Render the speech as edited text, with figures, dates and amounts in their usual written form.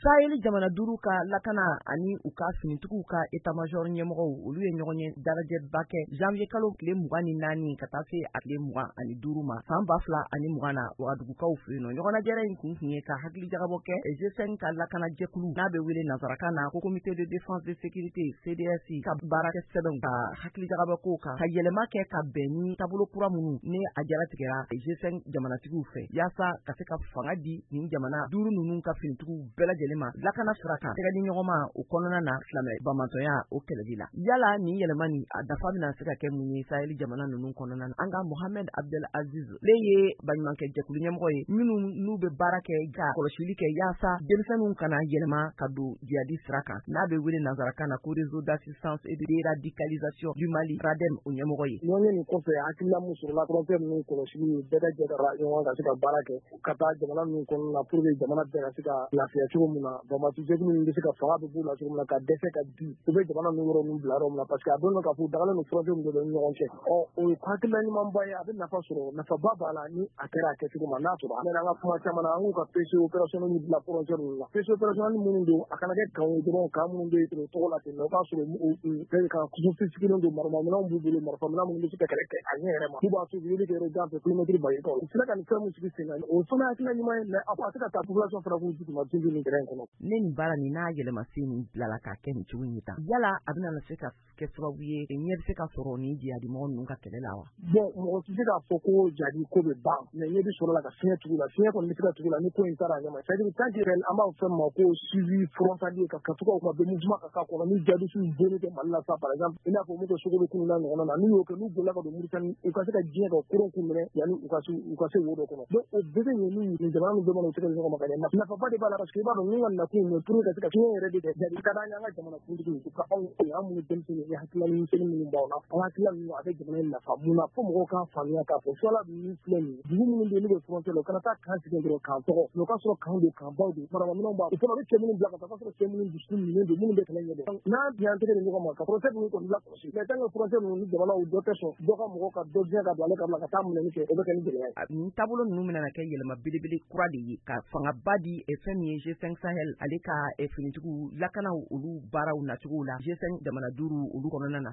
Sahel jamana 5 ka lakana ani u ka finitigiw ka état-major ɲɛmɔgɔw, olu ye ɲɔgɔn ye dalajɛba kɛ janvier kalo tile 24 ka taa se a tile 25 ma san 2020 na Wagadugukaw fɛ yen nɔ. Ɲɔgɔnnajɛrɛ in kun tun ye ka hakili jagabɔ kɛ G5 ka lakana jɛkulu n'a bɛ wele nansarakan na ko comité de défense de sécurité CDS ka baarakɛ sɛbɛnw, ka hakili jagabɔ kow kan, ka yɛlɛma kɛ ka bɛn ni taabolo kura minnu ni a jaratigɛra G5 jamanatigiw fɛ, yaasa ka se ka fanga di nin jamana 5 ninnu ka finitigiw bɛɛ lajɛlen ma lakana sira kan, tɛgɛ di ɲɔgɔn ma o kɔnɔna na silamɛ bamantɔya o kɛlɛli la. Yala nin yɛlɛma nin a nafa bɛna se ka kɛ mun ye Sahel jamana ninnu kɔnɔna na? An ka Mohamed Abdel Aziz le ye baɲumankɛ jɛkulu ɲɛmɔgɔ ye minnu n'u bɛ baara kɛ ka kɔlɔsili kɛ yaasa denmisɛnninw kana yɛlɛma ka don jihadi sira kan, n'a bɛ wele nansarakan na ko réseau d'assistance et de déradicalisation du Mali RADEM, o ɲɛmɔgɔ ye. Ɲɔgɔn nin kɔfɛ, hakilina mun sɔrɔla, frontière ninnu kɔlɔsili, bɛɛ ka jɛ ka ɲɔgɔn ka se ka baara kɛ ka taa jamana ninnu kɔnɔna na pour que jamana bɛɛ ka se ka lafiya cogo min na, banbaaci jɛkulu ninnu bɛ se ka fanga bɛ b'u la cogo min na ka dɛsɛ ka di u bɛ jamana ninnu yɔrɔ ninnu bila yɔrɔ min na, parce que a dɔn k'a fɔ u dagalen don frontière ninnu ni ɲɔgɔn cɛ. Ɔ, o ye hakilina ɲumanba ye, a bɛ nafa sɔrɔ, nafaba b'a la ni a kɛra a kɛcogo ma. N'a sɔrɔ an ka kuma caman na, an k'u ka PC opérationnel bila frontière ninnu na, PC opérationnel minnu don, a kana kɛ kan ye dɔrɔn, kan minnu bɛ yen tɔgɔ la ten, o k'a sɔrɔ ka sophistiqué don, marifaminɛnw b'u bolo, marifaminɛn minnu bɛ se ka kɛlɛ kɛ a ɲɛ yɛrɛ ma, n'u b'a to u bɛ kɛ yɔrɔ jan fɛ, kilomɛtiri ba yirikaw. U sera ka nin fɛn mun sigi sen kan, o fana hakilina ɲuman ye, mais a tɛ ka taa population fana k'u jigi ma tin nin terrain kɔnɔ. Ne nin baara nin n'a yɛlɛma sen nin bilala k'a kɛ nin cogo in tan, yala a bɛna se ka kɛ sababu ye ɲɛ bɛ se ka sɔrɔ nin jihadi mɔgɔ ninnu ka kɛlɛ la wa? Bon, mɔgɔ tɛ se k'a fɔ ko jihadi ko bɛ ban, mais ɲɛ bɛ sɔrɔ la ka fiɲɛ tugu la, fiɲɛ kɔni bɛ se ka tugu la ni ko in taara a ɲɛ ma. C'est à dire tant que an b'a fɔ fɛn min ma ko suivi frontalier, ka to ka bɛ mouvement ka k'a kɔnɔ, ni jihadistes bonni kɛ Mali la sa, par exemple i n'a fɔ mun kɛ Sogolo kunu n'a ɲɔgɔnna na, n'u y'o kɛ, n'u bolila ka don Mauritanie, u ka se ka diɲɛ ka koron k'u minɛ yanni u ka se wo dɔ kɔnɔ. Donc o bɛɛ bɛ ɲɛ ni nin jamana ninnu bɛɛ mana u tɛgɛ di ɲɔgɔn ma ka ɲɛ. Nafaba de b'a la, parce que i b'a dɔn ninnu ka nakun ye pour que ka se ka fiɲɛ yɛrɛ de kɛ jadi ka d'an ye. An ka jamana kuntigi, u ka anw, an minnu denmisɛnnin ni hakilina misɛnnin minnu b'anw na, an hakilina ninnu a bɛ jamana in nafa mun na, fo mɔgɔw k'a faamuya k'a fɔ suwala ninnu filɛ nin ye, dugu minnu bɛ yen n'u bɛ frontière la, u kana taa kan sigi dɔrɔn k'an tɔgɔ, mais o ka sɔrɔ kan don, kan baw don, marabaminɛnw b'a o fana bɛ cɛ minnu bila ka taa, ka sɔrɔ cɛ minnu dusukun minɛn don, minnu bɛ kɛlɛ ɲɛdɔn, n'an y'an tɛgɛ di ɲɔgɔn ma ka frontière ninnu kɔni lakɔlɔsi. Mais tant que frontière ninnu ni jamanaw dɔ tɛ sɔn dɔ ka mɔgɔ ka dɔ gɛn ka don ale ka bila ka taa minɛni kɛ, o bɛ kɛ ni gɛlɛya ye. Nin taabolo ninnu bɛna kɛ yɛlɛma belebele kura de ye ka fangaba di fɛn min ye G5 Sahel ale ka finitigiw lakanaw, olu baaraw nacogo la G5 jamana 5 olu kɔnɔna na.